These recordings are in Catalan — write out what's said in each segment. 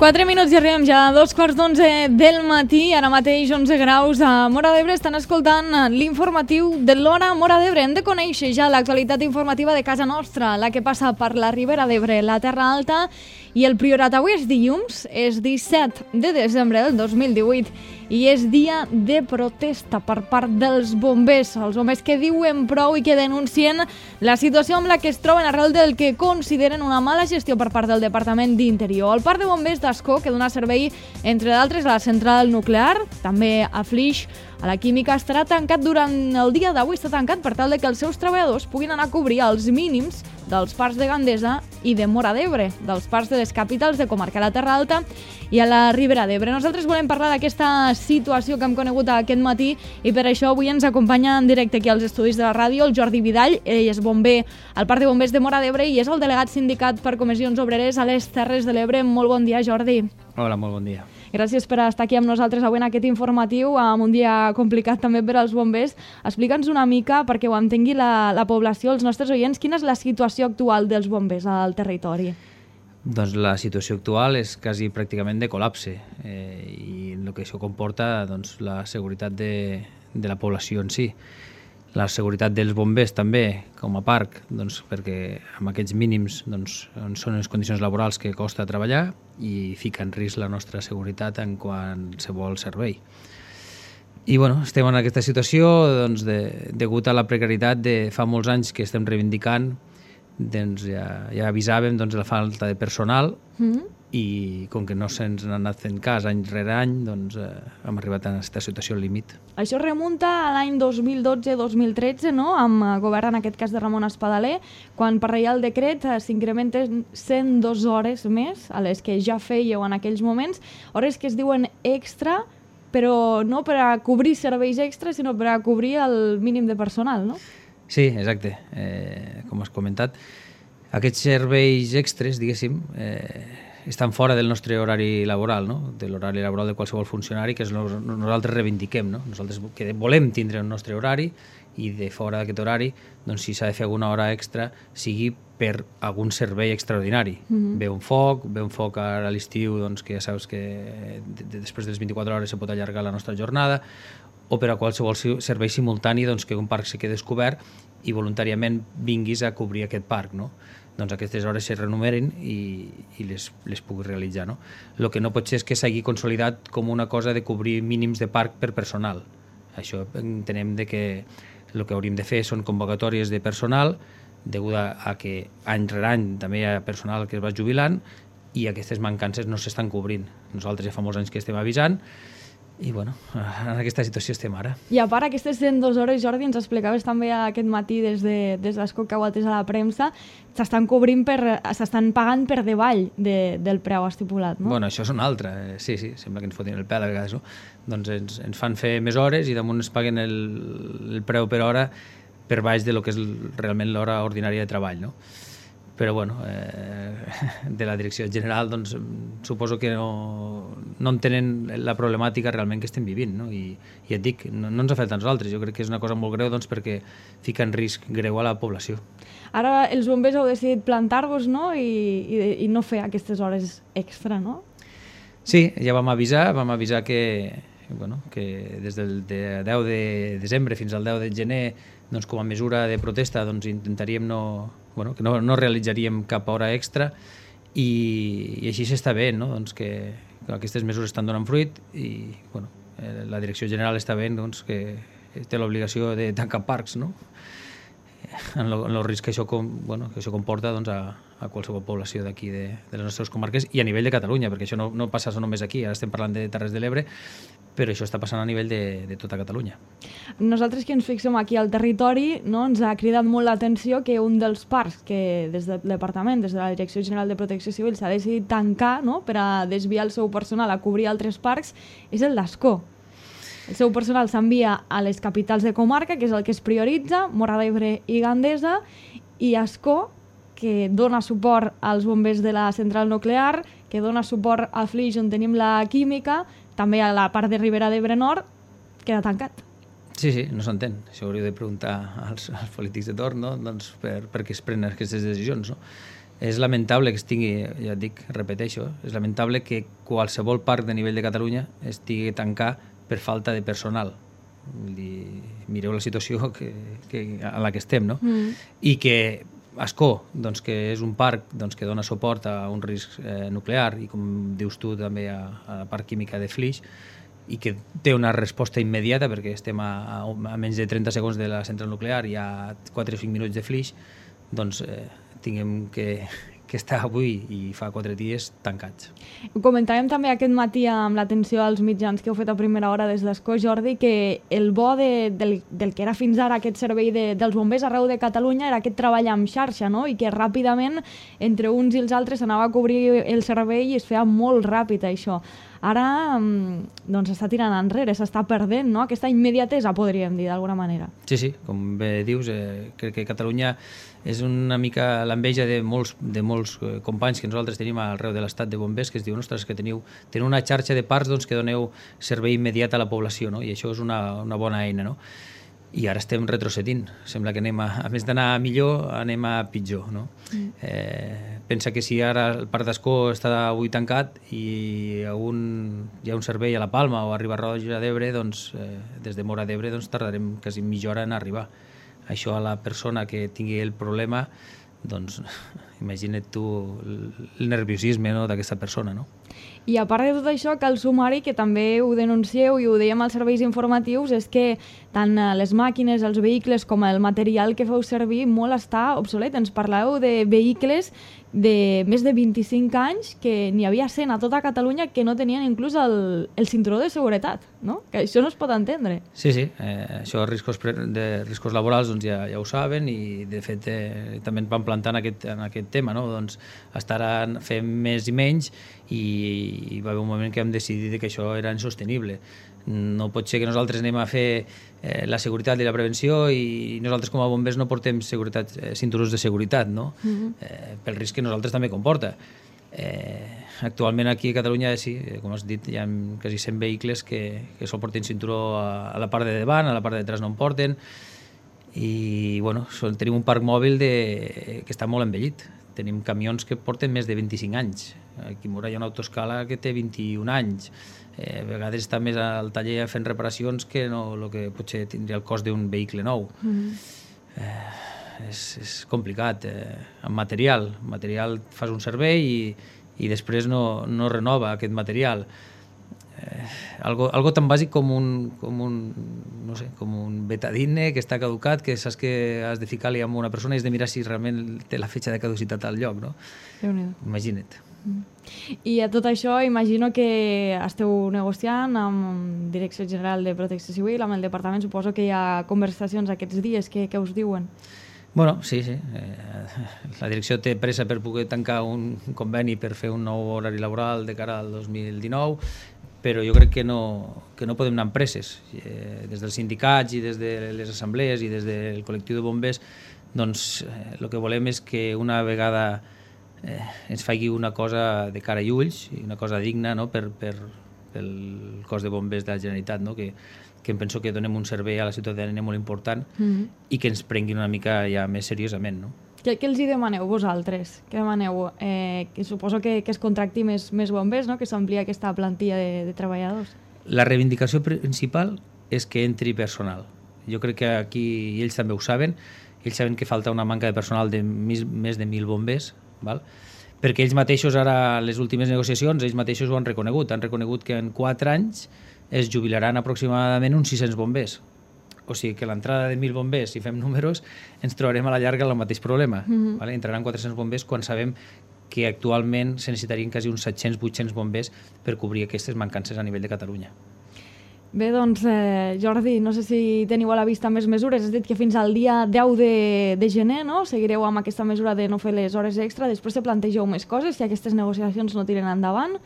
4 minuts i arribem ja a 2:15 del matí. Ara mateix 11 graus a Móra d'Ebre. Estan escoltant l'informatiu de l'Hora Móra d'Ebre. Hem de conèixer ja l'actualitat informativa de casa nostra, la que passa per la Ribera d'Ebre, la Terra Alta i el Priorat. Avui és dilluns, és 17 de desembre del 2018 i és dia de protesta per part dels bombers. Els bombers que diuen prou i que denuncien la situació amb la que es troben arrel del que consideren una mala gestió per part del Departament d'Interior. El Parc de Bombers d'Ascó, que dona servei, entre d'altres, a la central nuclear, també a Flix, a la química, estarà tancat durant el dia d'avui. Està tancat per tal de que els seus treballadors puguin anar a cobrir els mínims dels parcs de Gandesa i de Móra d'Ebre, dels parcs de les capitals de comarca, a la Terra Alta i a la Ribera d'Ebre. Nosaltres volem parlar d'aquesta situació que hem conegut aquest matí i per això avui ens acompanya en directe aquí als estudis de la ràdio el Jordi Vidal. Ell és bomber al Parc de Bombers de Móra d'Ebre i és el delegat sindicat per comissions obreres a les Terres de l'Ebre. Molt bon dia, Jordi. Hola, molt bon dia. Gràcies per estar aquí amb nosaltres avui en aquest informatiu, amb un dia complicat també per als bombers. Explica'ns una mica, perquè ho entengui la població, els nostres oients, quina és la situació actual dels bombers al territori? Doncs la situació actual és quasi pràcticament de col·lapse i el que això comporta doncs, la seguretat de la població en si. La seguretat dels bombers també, com a parc, doncs, perquè amb aquests mínims doncs, són les condicions laborals que costa treballar i fica en risc la nostra seguretat en qualsevol servei. I bueno, estem en aquesta situació doncs, degut a la precarietat de fa molts anys que estem reivindicant. Doncs ja avisàvem doncs, la falta de personal i com que no se'ns n'ha anat fent cas any rere any, doncs hem arribat a aquesta situació al límit. Això remunta a l'any 2012-2013, no? Amb govern, en aquest cas de Ramon Espadaler, quan per Reial Decret s'incrementen 102 hores més a les que ja fèieu en aquells moments, hores que es diuen extra, però no per a cobrir serveis extras, sinó per a cobrir el mínim de personal, no? Sí, exacte. Com has comentat, aquests serveis extres, diguéssim, estan fora del nostre horari laboral, no? De l'horari laboral de qualsevol funcionari, que nosaltres reivindiquem. No? Nosaltres volem tindre el nostre horari i de fora d'aquest horari, doncs, si s'ha de fer alguna hora extra, sigui per algun servei extraordinari. Ve un foc ara a l'estiu, doncs, que ja saps que després de les 24 hores se pot allargar la nostra jornada, o per a qualsevol servei simultani doncs, que un parc se quedi descobert i voluntàriament vinguis a cobrir aquest parc. No? Doncs aquestes hores se renumeren i les puguis realitzar. No? El que no pot ser és que s'hagi consolidat com una cosa de cobrir mínims de parc per personal. Això entenem que el que hauríem de fer són convocatòries de personal, degut a que any rere any també hi ha personal que es va jubilant i aquestes mancances no s'estan cobrint. Nosaltres ja fa molts anys que estem avisant i bueno, en aquesta situació estem ara. I a part aquestes 102 hores, Jordi, ens explicaves també aquest matí des d'Ascó que ho atès a la premsa, s'estan pagant per davall del preu estipulat, no? Bueno, això és una altra. Sí, sembla que ens fotin el pèl a vegades, no? Doncs ens fan fer més hores i damunt ens paguen el preu per hora per baix de lo que és realment l'hora ordinària de treball, no? Però bueno, de la direcció general doncs, suposo que no entenen la problemàtica realment que estem vivint, no? I et dic, no ens afecta a nosaltres, jo crec que és una cosa molt greu doncs, perquè fica en risc greu a la població. Ara els bombers heu decidit plantar-vos, no? I no fer aquestes hores extra, no? Sí, ja vam avisar que des del 10 de desembre fins al 10 de gener doncs, com a mesura de protesta doncs, intentaríem que no realitzaríem cap hora extra i així s'està veient, no? Doncs que aquestes mesures estan donant fruit i la direcció general està veient doncs, que té l'obligació de tancar parcs, no? En el risc que això comporta doncs, a qualsevol població d'aquí de les nostres comarques i a nivell de Catalunya, perquè això no passa només aquí, ara estem parlant de Terres de l'Ebre, però això està passant a nivell de tota Catalunya. Nosaltres que ens fixem aquí al territori, no, ens ha cridat molt l'atenció que un dels parcs que des del Departament, des de la Direcció General de Protecció Civil, s'ha decidit tancar, no, per a desviar el seu personal a cobrir altres parcs, és el d'Ascó. El seu personal s'envia a les capitals de comarca, que és el que es prioritza, Móra d'Ebre i Gandesa, i Ascó, que dona suport als bombers de la central nuclear, que dona suport a Flix, on tenim la química, també a la part de Ribera d'Ebre Nord, queda tancat. Sí, no s'entén. Això hauríeu de preguntar als polítics de torn, no? Doncs per què es prenen aquestes decisions, no? és lamentable que estigui, ja et dic, repeteixo, és lamentable que qualsevol parc de nivell de Catalunya estigui tancat per falta de personal. Vull dir, mireu la situació a la que estem, no? I que Ascó, doncs, que és un parc doncs, que dona suport a un risc nuclear i, com dius tu, també a la part química de Flix, i que té una resposta immediata perquè estem a menys de 30 segons de la central nuclear i a 4 o 5 minuts de Flix, doncs tinguem que estar avui i fa 4 dies tancats. Ho comentàvem també aquest matí amb l'atenció als mitjans que heu fet a primera hora des d'Ascó, Jordi, que el bo del que era fins ara aquest servei dels bombers arreu de Catalunya era aquest treball amb xarxa, no? I que ràpidament entre uns i els altres s'anava a cobrir el servei i es feia molt ràpid això. Ara doncs s'està tirant enrere, s'està perdent, no? Aquesta immediatesa, podríem dir, d'alguna manera. Sí, com bé dius, crec que Catalunya és una mica l'enveja de molts companys que nosaltres tenim arreu de l'estat de bombers, que es diuen, ostres, que teniu una xarxa de parcs doncs, que doneu servei immediat a la població, no? I això és una bona eina, no? I ara estem retrocedint. Sembla que anem a més d'anar millor, anem a pitjor, no? Pensa que si ara el Parc d'Ascó està avui tancat i hi ha un servei a la Palma o a Riba-roja d'Ebre, doncs des de Móra d'Ebre doncs tardarem quasi mitja hora en arribar. Això a la persona que tingui el problema, doncs imagina't tu el nerviosisme, no, d'aquesta persona, no? I a part de tot això, cal sumar-hi, que també ho denuncieu i ho dèiem als serveis informatius, és que tant les màquines, els vehicles com el material que feu servir molt està obsolet. Ens parleu de vehicles de més de 25 anys que n'hi havia 100 a tota Catalunya que no tenien inclús el cinturó de seguretat, no? Que això no es pot entendre. Sí, això de riscos laborals doncs ja ho saben i de fet també ens van plantar en aquest tema, no? Doncs estar fent més i menys i va haver un moment que vam decidir que això era insostenible. No pot ser que nosaltres anem a fer la seguretat i la prevenció i nosaltres com a bombers no portem cinturons de seguretat, no? Pel risc que nosaltres també comporta. Actualment aquí a Catalunya, sí, com has dit, hi ha quasi 100 vehicles que sol porten cinturó a la part de davant, a la part de darrere no en porten, i bueno, tenim un parc mòbil que està molt envellit. Tenim camions que porten més de 25 anys. Aquí a Móra hi ha una autoescala que té 21 anys. A vegades està més al taller fent reparacions que el que potser tindria el cost d'un vehicle nou. És complicat. Amb material fas un servei i després no renova aquest material. Algo tan bàsic com un betadine que està caducat, que saps que has de ficar-li amb una persona i has de mirar si realment té la fetge de caducitat al lloc, no? Imagina't. I a tot això imagino que esteu negociant amb Direcció General de Protecció Civil, amb el departament, suposo que hi ha conversacions aquests dies, què us diuen? Bueno, sí. La direcció té pressa per poder tancar un conveni per fer un nou horari laboral de cara al 2019, però jo crec que no podem anar amb presses. Des dels sindicats i des de les assemblees i des del col·lectiu de bombers, doncs el que volem és que una vegada ens faci una cosa de cara i ulls, i una cosa digna, no? pel cos de bombers de la Generalitat, no? Que em penso que donem un servei a la ciutadania molt important i que ens prenguin una mica ja més seriosament, no? Què els hi demaneu vosaltres? Què demaneu? Que suposo que es contracti més bombers, no? Que s'amplia aquesta plantilla de treballadors. La reivindicació principal és que entri personal. Jo crec que aquí, i ells també ho saben, que falta una manca de personal de més de 1.000 bombers, val? Perquè ells mateixos ara, les últimes negociacions, ells mateixos ho han reconegut que en 4 anys es jubilaran aproximadament uns 600 bombers. O sigui que l'entrada de 1.000 bombers, si fem números, ens trobarem a la llarga el mateix problema. Vale? Entraran 400 bombers quan sabem que actualment se necessitarien quasi uns 700-800 bombers per cobrir aquestes mancances a nivell de Catalunya. Bé, doncs, Jordi, no sé si teniu a la vista més mesures. Has dit que fins al dia 10 de gener, no? Seguireu amb aquesta mesura de no fer les hores extra. Després se plantegeu més coses si aquestes negociacions no tiren endavant?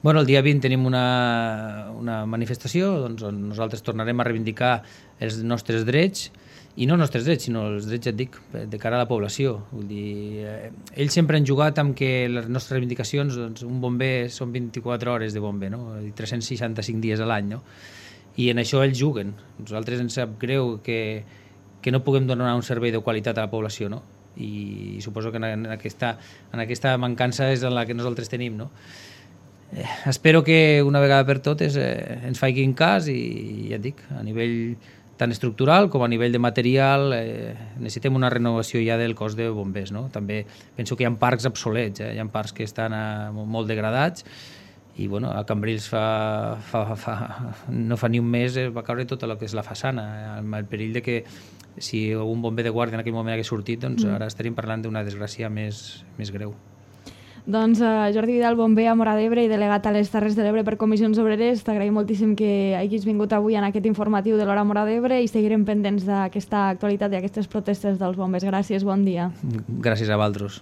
Bueno, el dia 20 tenim una manifestació doncs, on nosaltres tornarem a reivindicar els nostres drets, i no els nostres drets, sinó els drets, ja et dic, de cara a la població. Vull dir, ells sempre han jugat amb que les nostres reivindicacions, doncs, un bomber són 24 hores de bomber, no? 365 dies a l'any, no? I en això ells juguen. Nosaltres ens sap greu que no puguem donar un servei de qualitat a la població, no? i suposo que en aquesta mancança és en la que nosaltres tenim, no? Espero que una vegada per totes ens facin cas i ja et dic, a nivell tant estructural com a nivell de material necessitem una renovació ja del cos de bombers, no? També penso que hi ha parcs obsolets, hi ha parcs que estan molt degradats i bueno, a Cambrils no fa ni un mes va caure tota el que és la façana, amb el perill de que si un bomber de guàrdia en aquell moment hagués sortit, doncs ara estaríem parlant d'una desgràcia més greu. Doncs Jordi Vidal, bomber a Móra d'Ebre i delegat a les Terres de l'Ebre per Comissions Obreres, t'agraïm moltíssim que hagis vingut avui en aquest informatiu de l'Hora Móra d'Ebre i seguirem pendents d'aquesta actualitat i aquestes protestes dels bombers. Gràcies, bon dia. Gràcies a vosaltres.